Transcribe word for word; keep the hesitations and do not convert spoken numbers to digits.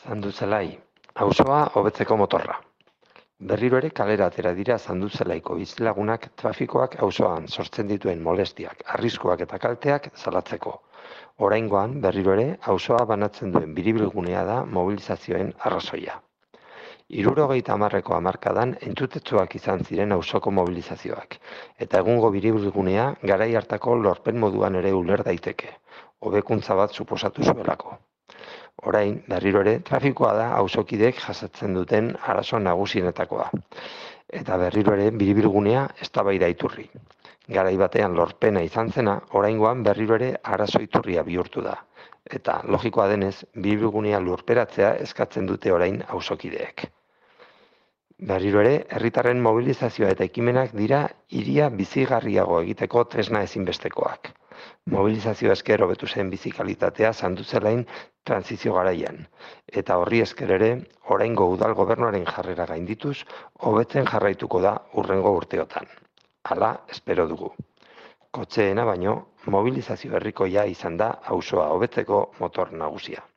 Zanduzelai, auzoa hobetzeko motorra. Berriro ere kalera atera dira Zanduzelaiko bizilagunak trafikoak auzoan sortzen dituen molestiak, arriskuak eta kalteak salatzeko. Oraingoan berriro ere auzoa banatzen duen biribilgunea da mobilizazioen arrazoia. Hirurogeita hamarreko hamarkadan entzutetsuak izan ziren auzoko mobilizazioak, eta egungo biribilgunea garai hartako lorpen moduan ere uler daiteke, hobekuntza bat suposatu zuelako. Orain, berriro ere, trafikoa da auzokideek jasatzen duten arazo nagusienetakoa. Eta berriro ere, biribilgunea eztabaida iturri. Garai batean lorpena izan zena, oraingoan berriro ere arazo iturria bihurtu da. Eta, logikoa denez, biribilgunea lurperatzea eskatzen dute orain auzokideek. Berriro ere, herritarren mobilizazioa eta ekimenak dira hiria bizigarriago egiteko tresna ezinbestekoak. Mobilizazio esker hobetu zen bizi kalitatea Zanduzelain trantsizio garaian, eta horri esker ere, oraingo udal gobernuaren jarrera gaindituz, hobetzen jarraituko da hurrengo urteotan. Hala, espero dugu. Kotxeena baino, mobilizazio herrikoia izan da auzoa hobetzeko motor nagusia.